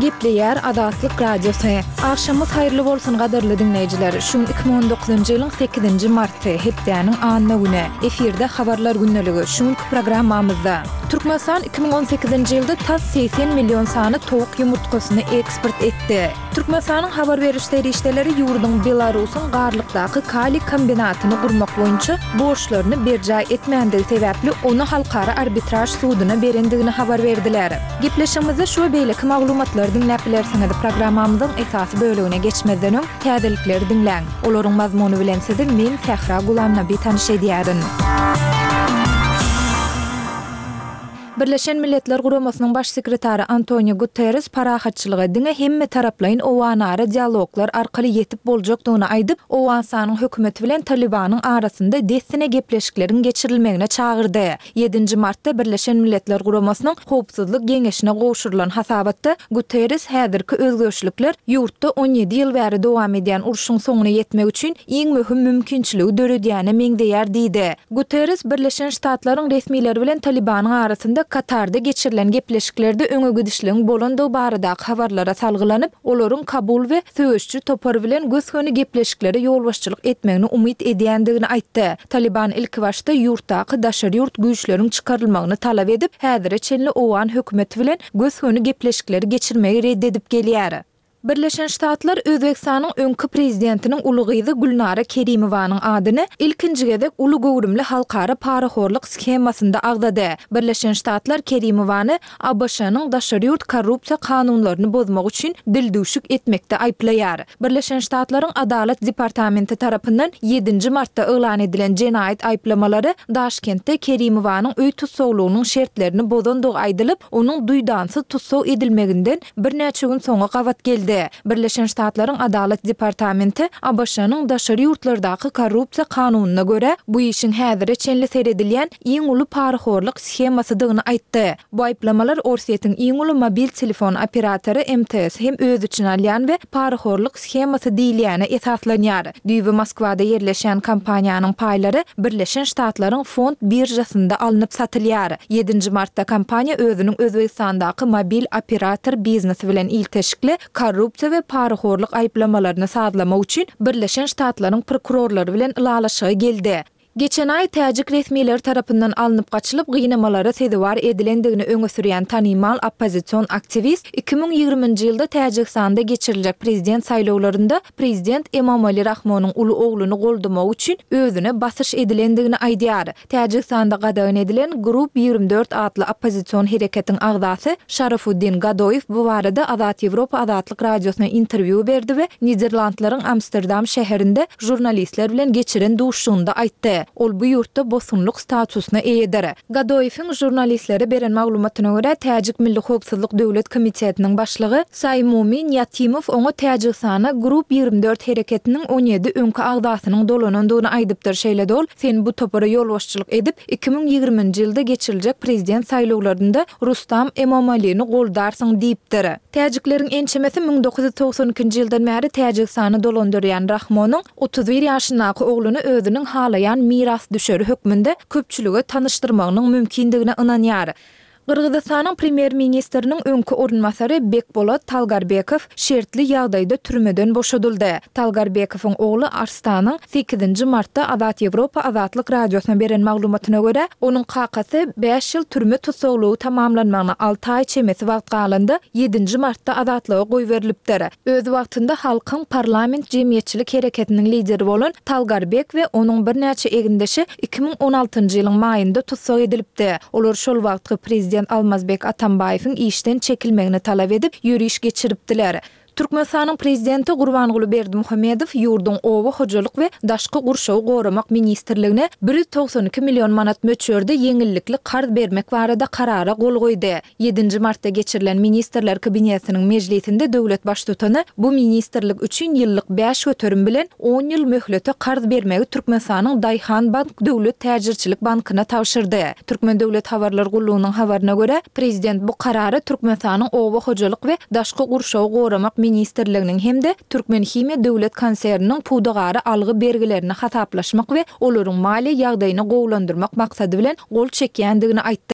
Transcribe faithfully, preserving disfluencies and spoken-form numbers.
Gepleýär Azatlyk Radiosy. Agşamyňyz haýyrly bolsun gadyrly diňleýjiler. Şu gün iki müň on dokuzynjy ýylyň sekizinji marty, hepdäniň anna güni. Efirde Habarlar gündeligi. Şu günki programmamyzda. Türkmenistan iki müň on sekizinji ýylda tas segsen million sany towuk ýumurtgasyny eksport etdi. Türkmenistanyň habar beriş serişdeleri ýurduň Belarusyň Garlykdaky kaliý kombinatyny gurmak boýunça borçlaryny berjaý etmändigi sebäpli ony Halkara arbitraž suduna berendigini habar berdiler. Gepleşigimizde şu we beýleki maglumatlary diňläp bilersiňiz. Programmamyzyň esasy bölegine geçmezden öň, täzelikleri diňläň. Olaryň mazmuny bilen sizi men, Sähra Gulamnabi tanyş edýärin. Birleşen Milletler Guramasynyň Baş sekretary Antonio Guterres parahatçylyga diňe hemmetaraplaýyn owganara dialoglar arkaly ýetip boljakdygyny aýdyp, Owganystanyň hökümeti bilen Talybanyň arasynda dessine gepleşikleriň geçirilmegine çagyrdy. Ýedinji martda Birleşen Milletler Guramasynyň Howpsuzlyk Geňeşine gowşurylan hasabatda Guterres häzirki özgerişlikler ýurtda on ýedi ýyl bäri dowam edýän urşuň soňuna ýetmek üçin iň möhüm mümkinçiligi döredýäne meňzeýär diýdi. Guterres Birleşen Ştatlaryň resmileri bilen Talybanyň arasynda Katarda geçirilen gepleşiklerde öňe gidişligiň bolandygy baradaky habarlara salgylanyp, olaryň Kabul we söweşiji topary bilen gös-göni gepleşiklere ýolbaşçylyk etmegini umyt edýändigini aýtdy. Talyban ilkibaşda ýurtdaky daşary ýurt güýçleriň çykarylmagyny talap edip, häzire çenli owgan hökümeti bilen gös-göni gepleşikleri geçirmegi red edip gelýär. Birleşen Ştatlar Özbegistanyň öňki prezidentiniň uly gyzy Gülnara Kerimowanyň adyny ilkinji gezek uly göwrümli halkara parahorluk shemasynda agzady. Birleşen Ştatlar Kerimowany ABŞ-nyň daşary ýurt korrupsiýa kanunlaryny bozmak üçin dildüwşük etmekde aýyplaýar. Birleşen Ştatlaryň Adalat departamenti tarapyndan ýedinji martda yglan edilen jenaýat aýyplamalary Daşkentde Kerimowanyň öý tussaglygynyň şertlerini bozandygy aýdylyp, onuň duýdansyz tussag edilmeginden birnäçe gün soňa gabat geldi. Birleşen Ştatlaryň Adalat departamenti ABŞ-nyň daşary ýurtlardaky korrupsiýa kanunyna görä, bu işiň häzire çenli seredilýän iň uly parahorluk shemasydygyny aýtdy. Bu aýyplamalar Orsýetiň iň uly mobil telefon operatory M T S hem öz içine alýan we parahorluk shemasy diýilýäne esaslanýar. Düýbi Moskwada ýerleşýän kompaniýanyň paýlary Birleşen Ştatlaryň fond biržasynda alnyp satylýar. Ýedinji martda kompaniýa özüniň Özbegistandaky mobil operator biznesi bilen ilteşikli korrupsiýa we parahorluk aýyplamalaryny sazlamak üçin Birleşen Ştatlaryň prokurorlary bilen ylalaşyga geldi. Geçen aý täjik resmileri tarapyndan alnyp gaçylyp, gynamalara sezewar edilendigini öňe sürýän tanymal oppozision aktiwist iki müň ýigriminji ýylda Täjigistanda geçiriljek prezident saýlawlarynda prezident Emomali Rahmonyň uly ogluny goldamagy üçin özüne basyş edilendigini aýdýar. Täjigistanda gadagan edilen Group ýigrimi dört atly oppozision hereketiň agzasy Şarafuddin Gadoýew bu barada Azat Ýewropa Azatlyk Radiosyna interwýu berdi we Niderlandlaryň Amsterdam şäherinde žurnalistler bilen geçiren duşuşygynda aýtdy. Ol bu ýurtda bosgunlyk statusyna eýedir. Gadoýewiň žurnalistlere beren maglumatyna görä, Täjik Milli howpsuzlyk döwlet komitetiniň başlygy Saýmumin Ýatimow oňa Täjigistana Group ýigrimi dört hereketiniň on ýedi öňki agzasynyň dolanandygyny aýdypdyr. Şeýle-de ol, Sen bu topara ýolbaşçylyk edip, iki müň ýigriminji ýylda geçiriljek prezident saýlawlarynda Rustam Emomalini goldarsyň diýipdir. Täjikleriň ençemesi müň dokuz ýüz togsan ikinji ýyldan bäri Täjigistany dolandyrýan Rahmonyň otuz bir ýaşyndaky ogluny özüniň halaýan mirasdüşeri hökmünde köpçülige tanyşdyrmagynyň mümkindigine ynanýar. Gyrgyzystanyň premýer-ministriniň öňki orunbasary Bekbolat Talgarbekow şertli ýagdaýda türmeden boşadyldy. Talgarbekowyň ogly Arstanyň sekizinji martda Azat Ýewropa Azatlyk Radiosyna beren maglumatyna görä, onuň kakasy bäş ýyl türme tussaglygy tamamlanmagyna alty aý çemesi wagt galanda, ýedinji martda azatlyga goýberilipdir. Öz wagtynda Halkyň parlament jemgyýetçilik hereketiniň lideri bolan Talgarbek we onuň birnäçe egindeşi iki müň on altynjy ýylyň maýynda tussag edilipdi. Olar şol wagtky prezident Almazbek Atambaýewiň işden çekilmegini talap edip, ýöriş geçiripdiler. Türkmenistanyň Prezidenti Gurbanguly Berdimuhamedow ýurduň Oba hojalyk we daşky gurşawy goramak ministrligine bir ýüz togsan iki million manat möçberde ýeňillikli karz bermek barada Karara gol goýdy. Ýedinji martda geçirilen Ministrler Kabinetiniň mejlisinde döwlet Baştutany bu ministrlik üçin ýyllyk bäş göterim bilen on ýyl möhlete karz bermegi Türkmenistanyň Daýhanbank döwlet täjirçilik bankyna tabşyrdy. Türkmen döwlet habarlar gullugynyň habaryna görä, prezident bu Karara Türkmenistanyň Oba hojalyk we daşky gurşawy goramak ministrliginiň hem-de Türkmenhimiýa döwlet konserniniň pudagara algy-bergilerini hasaplaşmak we olaryň maliýe ýagdaýyny gowulandyrmak maksady bilen gol çekýändigini aýtdy.